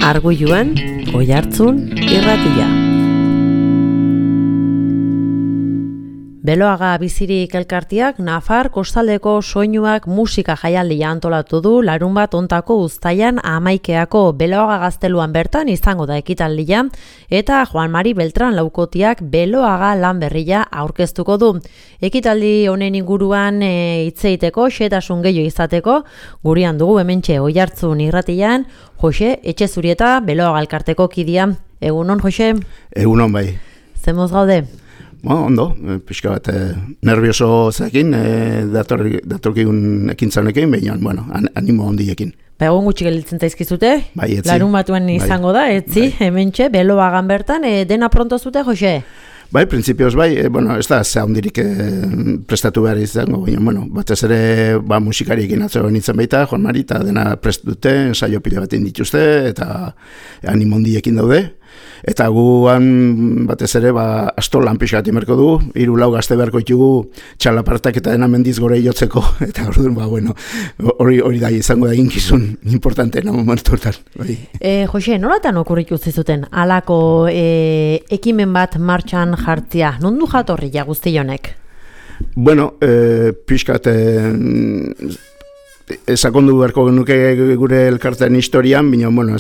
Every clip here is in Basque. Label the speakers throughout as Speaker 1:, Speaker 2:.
Speaker 1: Arguiluan, Oihartzun irratia. Beloaga bizirik elkartiak Nafar kostaldeko soinuak musika jaialdia antolatu du larunbat hontako uztailan 11eako Beloaga gazteluan bertan izango da ekitaldia eta Juan Mari Beltran laukotiak Beloaga lan berria aurkeztuko du. Ekitaldi honen inguruan hitz egiteko xehetasun gehiago izateko gurean dugu hementxe Oihartzun irratian Jose Etxezurieta Beloaga elkarteko kidea. Egunon Jose?
Speaker 2: Egunon bai.
Speaker 1: Zemoz gaude?
Speaker 2: Ondo, pixka bat nervioso zekin, datorkigun ekintzanekin, baina, bueno, animo ondiekin.
Speaker 1: Egun gutxi gelditzen zaizkizute,
Speaker 2: bai, etzi.
Speaker 1: Larun batuan izango da, etzi, hementxe, Beloagan bertan, dena pronto zute, Jose?
Speaker 2: Bai, printzipioz bai, bueno, ez da ze handirik prestatu behar izango, baina, bueno, batez ere musikariekin atzero nintzen baita, Juan Mari, eta dena prest dute, ensaio pila batin dituzte, eta animo ondiekin daude. Eta guan batez ere astolan pixka bat imerko du, 3-4 gazte beharko ditugu txalapartak eta dena mendiz gore jotzeko, eta orduan, bueno, hori da izango da eginkizun importanteena momentu hortan. Bai.
Speaker 1: Jose, nolatan okurritu zizuten halako ekimen bat martxan jartzia? Nondu jatorri ja guzti honek?
Speaker 2: Bueno, pixka sakondu beharko genuke gure elkartean historian, baina, bueno,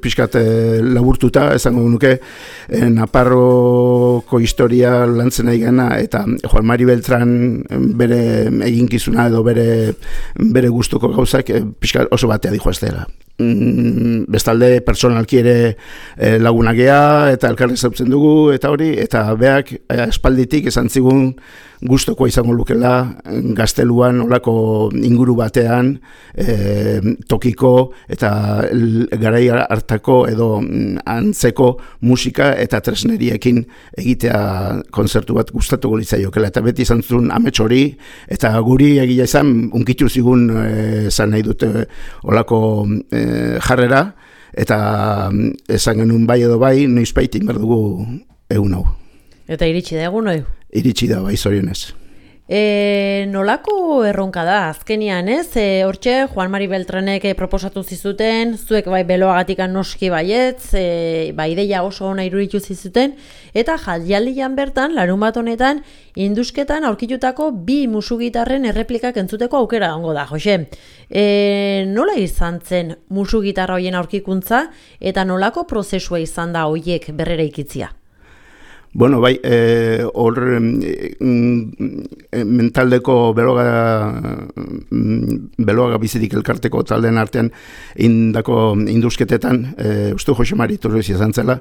Speaker 2: pixkat laburtuta, esango genuke Naparroko historia lantzen nahi gana, eta Juan Mari Beltran bere eginkizuna edo bere gustuko gauzak pixkat oso batea dijo ez dela. Bestalde personalki ere lagunak gea eta elkarri zautzen dugu eta hori, eta beak espalditik esan zigun gustokoa izango lukela gazteluan olako inguru batean tokiko eta garai hartako edo antzeko musika eta tresneriekin egitea kontzertu bat gustatuko litzaiokela, eta beti izan zuen amets hori, eta guri egia izan unkitu zigun zan nahi dute olako jarrera, eta esan genuen bai edo bai, noizbait inbar dugu egun hau.
Speaker 1: Eta iritsi da egun hau?
Speaker 2: Iritsi da bai, zorionez.
Speaker 1: Nolako erronka da, azkenian ez? Hortxe, Juan Mari Beltranek proposatu zizuten, zuek bai Beloagatik noski baietz, ideia oso ona iruritu zizuten, eta jaialdian bertan, larunbat honetan, indusketan aurkitutako 2 musugitarren erreplikak entzuteko aukera ongo da, Jose. Nola izan zen musugitarra hoien aurkikuntza, eta nolako prozesua izan da hoiek berrera ikitzia?
Speaker 2: Bueno, bai, hor mentaldeko Beloaga bizirik elkarteko taldeen artean indako induzketetan, uste Jose Mari Torres izan zela,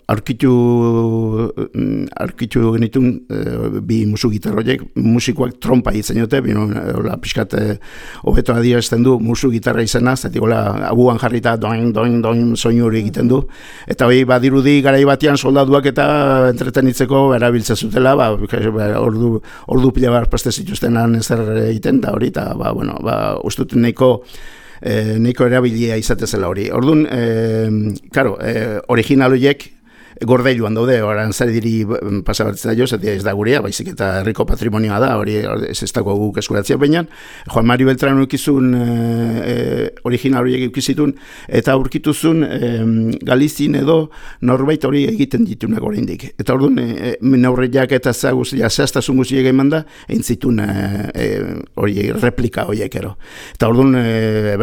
Speaker 2: aurkitu genitun 2 musugitarroiek, musikoak trompa itzen jote, pixkat hobeto adierazten du musugitarra izena, zatik abuan jarrita doin soinu hori egiten du, eta hori badirudi garai batean soldaduak eta entretenitzeko erabiltzen zutela, ordu pila bat preste zituztenan ezer egiten da hori, eta ustut nahiko erabilia izatezela hori. Orduan, original horiek gordailuan daude, oran zari diri pasabatzen da jo, ez da gurea, baizik eta herriko patrimonioa da, hori ez dago guk eskuratzea baina, Juan Mari Beltran ukizun original horiek ukizitun, eta aurkituzun Galizin edo norbait hori egiten ditunak oraindik. Eta orduan, neurriak eta zehaztasun guziek eman da, eintzitun hori replika horiek ero. Eta orduan,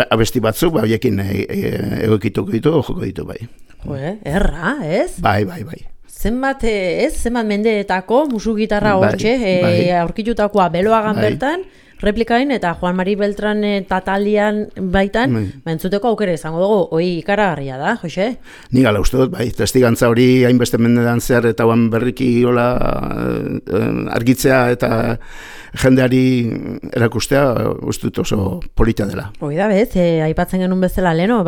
Speaker 2: abesti batzuk, horiekin egokituko ditu, joko ditu bai.
Speaker 1: Erra, ez?
Speaker 2: Bai.
Speaker 1: Zenbat mendeetako musugitarra hortxe, aurkitutakoa Beloagan bertan, replikain eta Juan Mari Beltran tatalian baitan, entzuteko aukera izango dugu, hori ikaragarria da, Jose?
Speaker 2: Ni gala uste dut, bai, testigantza hori hainbeste mendean zehar eta berriki argitzea eta jendeari erakustea uste dut oso polita dela.
Speaker 1: Hoi da bez, aipatzen genuen bezala leno,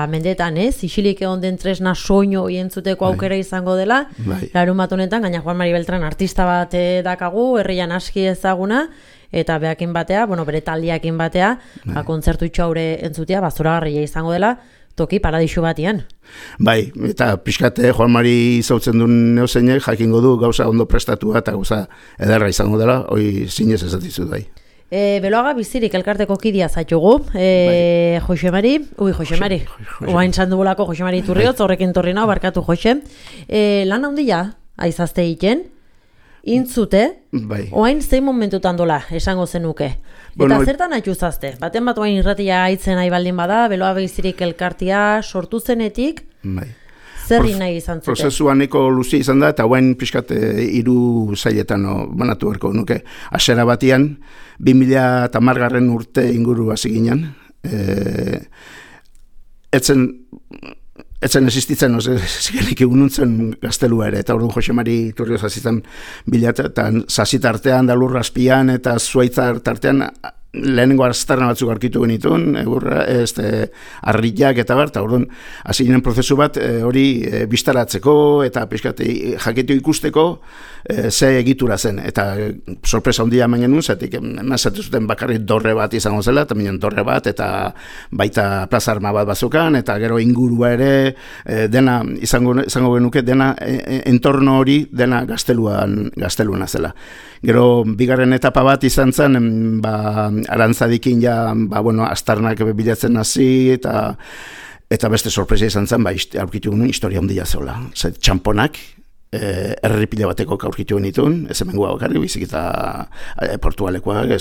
Speaker 1: mendeetan ez, isilik egon den tresna soinu hori entzuteko aukera izango dela, larunbat honetan, gaina Juan Mari Beltran artista bat dakagu, herrian aski ezaguna, eta beakin batea, bere taldiakin batea, kontzertu itxaure entzutea, zoragarria izango dela, toki paradisu batian.
Speaker 2: Bai, eta pixkate Juan Mari zautzen duen neozeinek jakingo du gauza ondo prestatua eta gauza ederra izango dela, hoi zinez ez dizut bai.
Speaker 1: Beloaga bizirik elkarteko kidia zaitugu, Josemari, oain zandugulako Josemari Turriotz, horrekin torri nao, barkatu Jose. Lan handia, aizazte egiten, intzute, oain zein momentutan dola, esango zenuke. Eta zertan haituzazte? Baten bat oain irratia haitzen nahi baldin bada, Beloaga bizirik elkartia sortu zenetik, zerri nahi izan zute?
Speaker 2: Prozesua nahiko luzia izan da, eta guen pixkat 3 zailetan banatu berko nuke. Hasiera batean, 2010 urte inguru hasi ginen. Etzen existitzen, zigenik egununtzen gaztelua ere, eta orduan Josemari Turriotz hazitzen bilatu, eta zazitartean, dalur azpian, eta zuaitza tartean, lehenengo aztarna batzuk aurkitu genituen, arriak eta bar, eta orduan, hasi ginen prozesu bat, hori bistaratzeko, eta pixkat jakitu ikusteko, ze egitura zen, eta sorpresa handia hemen genuen, zetik, emazatu zuten bakarrik dorre bat izango zela, eta minen dorre bat, eta baita plaza arma bat bazukan, eta gero ingurua ere, dena, izango genuke, dena, entorno hori, dena gazteluan zela. Gero, bigarren etapa bat izan zen, arantzadikin astarnak bilatzen hasi, eta beste sorpresa izan zen, aurkitu genuen historia handia zeola. Txamponak, erripile bateko aurkitu genituen, ez hemen guak bakarri, bizik eta portugalekoak,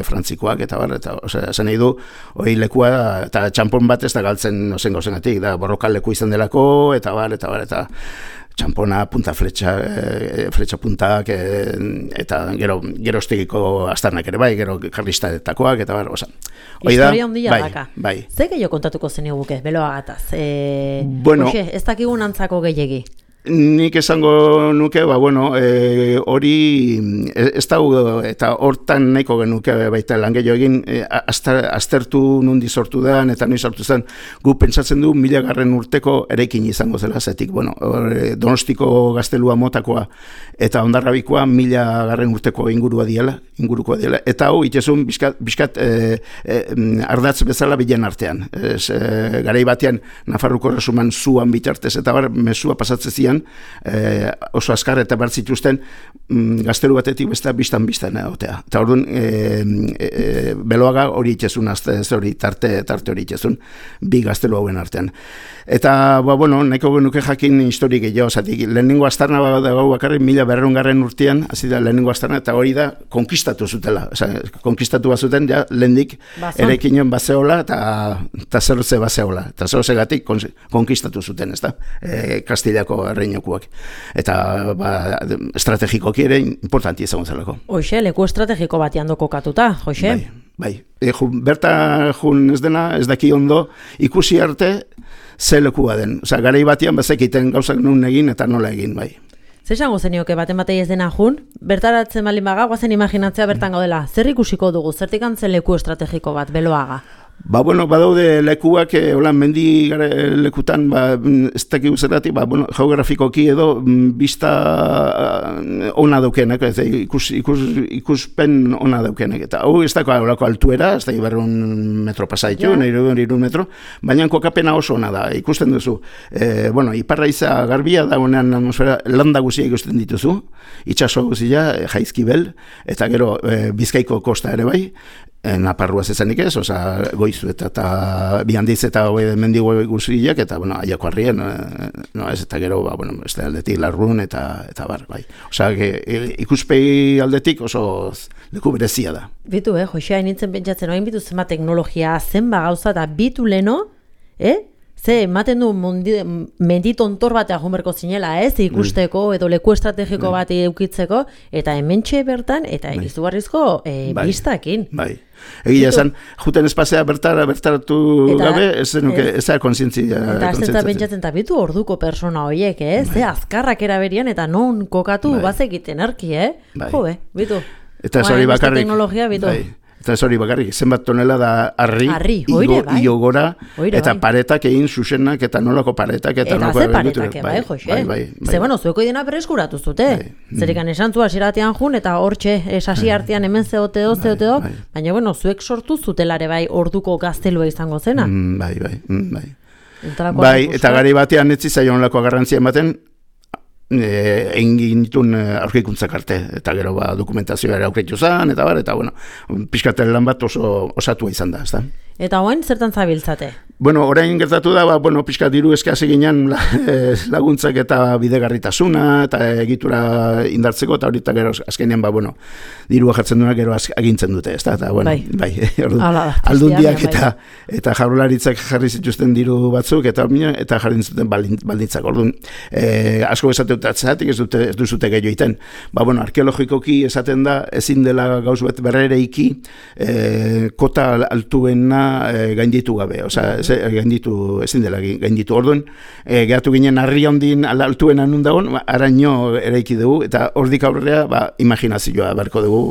Speaker 2: frantzikoak, eta bar, eta zen nahi du, hori lekua, eta txampon bat ez da galtzen ozen gozenatik, da borrokal leku izan delako, eta bar, eta txampona, punta fletxa puntak, eta gero estegiko astarnak ere bai, gero karlistadetakoak, eta bar, oza.
Speaker 1: Historia handia daka. Ze gehiago kontatuko zeniguke, Beloagataz? Hoxe, ez dakigun antzako gehiegi?
Speaker 2: Nik esango nuke, hori ez dago, eta hortan nahiko genuke baita lan gehiago egin, aztertu nundi sortu da, eta nundi sortu zen, gu pentsatzen du 1000. Urteko eraikin izango zela, zetik, Donostiko gaztelua motakoa, eta Hondarrabikoa 1000. Urteko inguruko diela, eta hau, itezun, bizkat ardatz bezala bilen artean. Garai batean, Nafarruko Erresuman zuan bitartez, eta bar, mesua pasatzen zian, oso azkar eta bertzituzten gaztelu batetik besta biztan egotea. Eta orduan, Beloaga hori itxezun, tarte hori itxezun, 2 gaztelu hauen artean. Eta, nahiko genuke jakin historik gehiago, zatik, lehenengo astarna dago bakarrik 1200. Urtean, hasi da lehenengo astarna, eta hori da, konkistatu zutela. Konkistatu bazuten, ja, lehendik erekinen bazeola, eta zerotze bazeola. Eta zerotze gatik konkistatu zuten, ez da, Kastilako erreinokuak. Eta, estrategikoki ere, importanti izango zelako.
Speaker 1: Hoxe, leku estrategiko batean kokatuta, Jose?
Speaker 2: Bai. Berta jun ez dena, ez daki ondo, ikusi arte, ze lekua den. Garai batean bazekiten gauzak nun egin eta nola egin, bai.
Speaker 1: Zer esango zenioke baten batei ez dena jun? Bertaratzen balin baga, guazen imaginatzea bertan gaudela. Zer ikusiko dugu? Zertik antzen leku estrategiko bat, Beloaga?
Speaker 2: Badaude lekuak, mendi lekutan, ez dakik zergatik, geografikoki edo, bizta ona daukenak, ikuspen ona daukenak. Eta hau ez dako altuera, ez dakik 100 metro pasaitu, 100 metro, baina kokapena oso ona da, ikusten duzu. Iparra iza garbia da, honean atmosfera, landa guzia ikusten dituzu, itxaso guzia, Jaizkibel, eta gero Bizkaiko kosta ere bai, Naparruaz ezanik ez, Goizu eta Bihandiz eta mendigo guziak, eta, aiako harrien, eta gero, ez da aldetik Larrun eta bar, bai. Ikuspegi aldetik oso leku berezia da.
Speaker 1: Bitu, Jose, hain pentsatzen, hain bitu zenba teknologia, zenba gauza, eta bitu leno, ze, ematen du menditontor batea junberko zinela, ikusteko, edo leku estrategiko bat eukitzeko, eta hementxe bertan, eta izugarrizko biztakin.
Speaker 2: Bai. Egia esan, juten espazea bertaratu gabe, ez da kontzientzia.
Speaker 1: Eta azten pentsatzen eta bitu orduko persona horiek, ze azkarrak eraberian eta non kokatu bazekiten erki, jo, bitu.
Speaker 2: Eta ez hori bakarrik.
Speaker 1: Teknologia, bitu.
Speaker 2: Eta ez hori bakarrik, zenbat tonela da harri, iogora, eta paretak egin zuzenak, eta nolako paretak, eta
Speaker 1: nolako... Eta ze paretak, Jose? Ze, zueko idena preskuratu zute. Zerikan esan zu asiratean jun, eta hortxe, esasi artean hemen zeote do, baina, zuek sortu zutelare bai orduko gaztelua izango zena.
Speaker 2: Bai, eta gari batean etzi zaion lako garrantzia ematen, egin ginitun aurkikuntzak arte, eta gero dokumentazioa ere aurkitu zen, eta bueno, pixkaten lan bat oso osatua izan da, ezta?
Speaker 1: Eta hoen, zertan zabiltzate?
Speaker 2: Bueno, orain gertatu da, pixka diru eskazi ginen laguntzak eta bidegarritasuna, eta egitura indartzeko, eta horita gero azkenean, dirua jartzen duena gero agintzen dute, ezta? Eta, bai, aldundiak eta jaurlaritzak jarri zituzten diru batzuk, eta jarri zuten baldintzak. Orduan, asko esateutatzeatik ez duzute gehiago iten. Arkeologikoki esaten da, ezin dela gauz bet berrereiki, kota altuena gainditu gabe, ezin dela gainditu. Orduan, gehatu ginen harri handin altuena nun dagoen, araño eraiki dugu, eta hordik aurrera, imaginazioa beharko dugu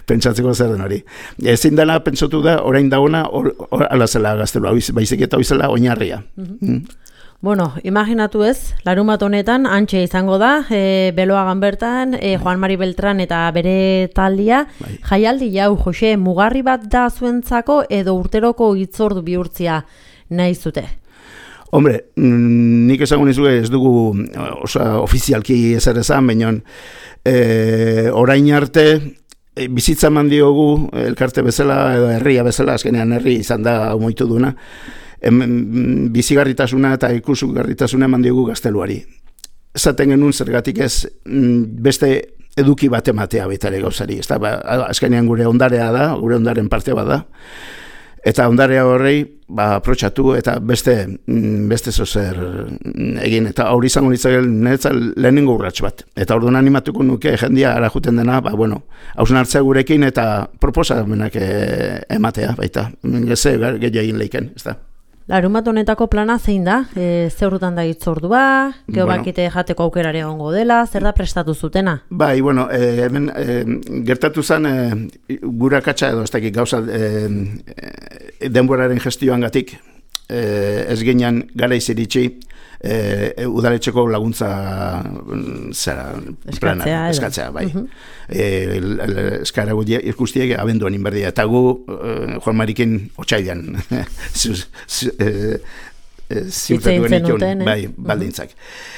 Speaker 2: pentsatzeko zer den hori. Ezin dela pentsatu da, orain dagoena, ala zela gaztelua, baizik eta hoizela oinarria.
Speaker 1: Bueno, imaginatu ez, larunbat honetan, antxe izango da, Beloagan bertan, Juan Mari Beltran eta bere taldia, jaialdi jau, Jose, mugarri bat da zuentzako edo urteroko hitzordu bihurtzia nahi zute?
Speaker 2: Hombre, nik esango nizuke ez dugu ofizialki ezer esan, baina orain arte, bizitza eman diogu elkarte bezala edo herria bezala, azkenean herri izan da moitu duna, bizigarritasuna eta ikusgarritasuna eman diogu gazteluari. Esaten genuen zergatik ez beste eduki bat ematea baitare gauzari. Azkenean gure ondarea da, gure ondaren parte bat da. Eta ondarea horrei aprotxatu eta beste zozer egin. Eta hori izango nintzen lehenengo urrats bat. Eta orduan animatuko nuke jendia ara juten dena, hausnartzea gurekin eta proposamenak ematea baita. Geze gehiagin egin leiken, ez da.
Speaker 1: Larunbat honetako plana zein da? Zeurrutan da hitzordua, geobakite jateko aukerare egongo dela, zer da prestatu zutena?
Speaker 2: Bai, hemen gertatu zen gura katxa edo ez dakik gauza denboraren gestioan gatik ez ginen gara iziritsi udaletxeko laguntza plana, eskatzea, bai. Eskara ikustiek abenduan inberdia, eta gu Juan Marikin otxailan ziurtatu genituen, bai, baldintzak.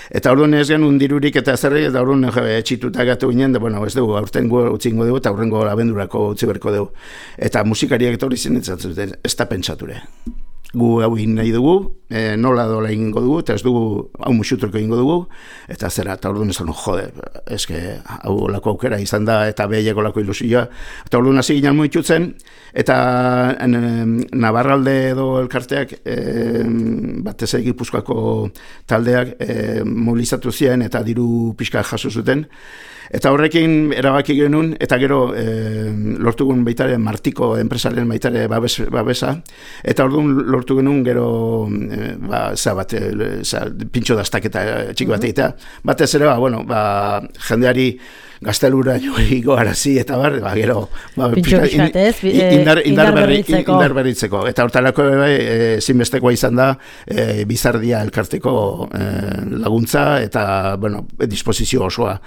Speaker 2: Eta orduan ez genuen dirurik eta zerri, eta orduan etxituta gatu ginen, ez dugu, aurtengo utzingo dugu, eta aurrengo abendurako utzi berko dugu. Eta musikariak etorri zinetzen zuten, ez da pentsature. Gu hau egin nahi dugu, nola dola egingo dugu, eta ez dugu hau musuturko egingo dugu, eta zera, eta orduan esan, jode, eske hau lako aukera izan da, eta behieko lako ilusioa, eta orduan hasi ginen muitutzen, eta Navarralde edo elkarteak, batez Gipuzkoako taldeak mobilizatu ziren, eta diru pixka jaso zuten, eta horrekin erabaki genuen, eta gero lortu genuen baitare Martiko enpresaren baitare babesa, eta orduan lortu genuen gero pintxo dastaketa txiki bat egitea. Batez ere, jendeari gaztelura joiko arazi, eta gero indar berritzeko. Eta hortalako zinbestekoa izan da Bizardia elkarteko laguntza, eta disposizio osoa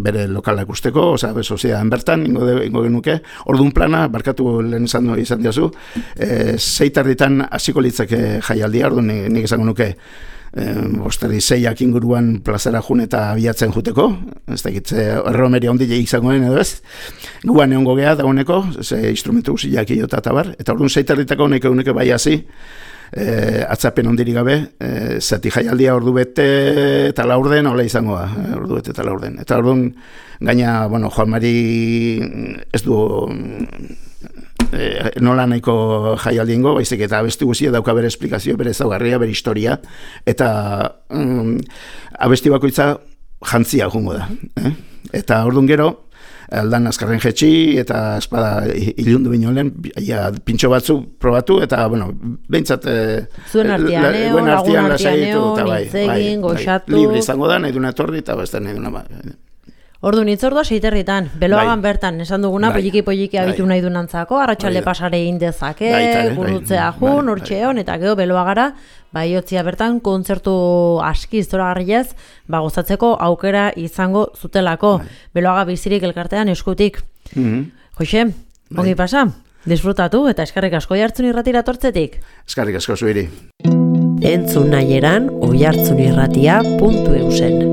Speaker 2: bere lokalak usteko, soziadan bertan, ingo genuke. Orduan plana, barkatu lehen izan diazu, 6:00 hasiko litzake jaialdia, orduan nik esango nuke, 6:00 inguruan plazara jun eta abiatzen juteko, ez dakit erromeria ondile izango den edo ez, guan egongo geha dagoeneko, instrumentu guziak iota eta bar, eta orduan 6:00 honek bai hasi, atzapen ondirik gabe, zati jaialdia ordu bete eta laurden, hola izango da, ordu bete eta laurden. Eta orduan, gaina, Juan Mari ez du nola nahiko jaialdi ingo, baizik eta abesti guzia dauka bere esplikazio, bere ezaugarria, bere historia, eta abesti bakoitza jantzia jungo da. Eta orduan gero, aldan azkarren jetxi, eta espada ilundu binolen, pintxo batzu probatu, eta, behintzat
Speaker 1: zuen artianeo, lagun artianeo, nintzegin, goxatu.
Speaker 2: Libre izango da, nahi duna etorri, eta besta nahi duna
Speaker 1: Ordu nitzordua 6:00 Beloagan bertan, esan duguna, poliki abitu nahi dunantzako, arratsalde pasare egin dezake, gurutzea jun, urtxeon, eta gero Beloagara, Baiotzia bertan, kontzertu aski zoragarriez, gozatzeko aukera izango zutelako. Beloaga bizirik elkartean eskutik. Jose, ongi pasa, disfrutatu, eta eskerrik asko jartzen irratira tortzetik.
Speaker 2: Eskerrik asko zuiri.
Speaker 1: Entzun nahieran oihartzunirratia.eusen.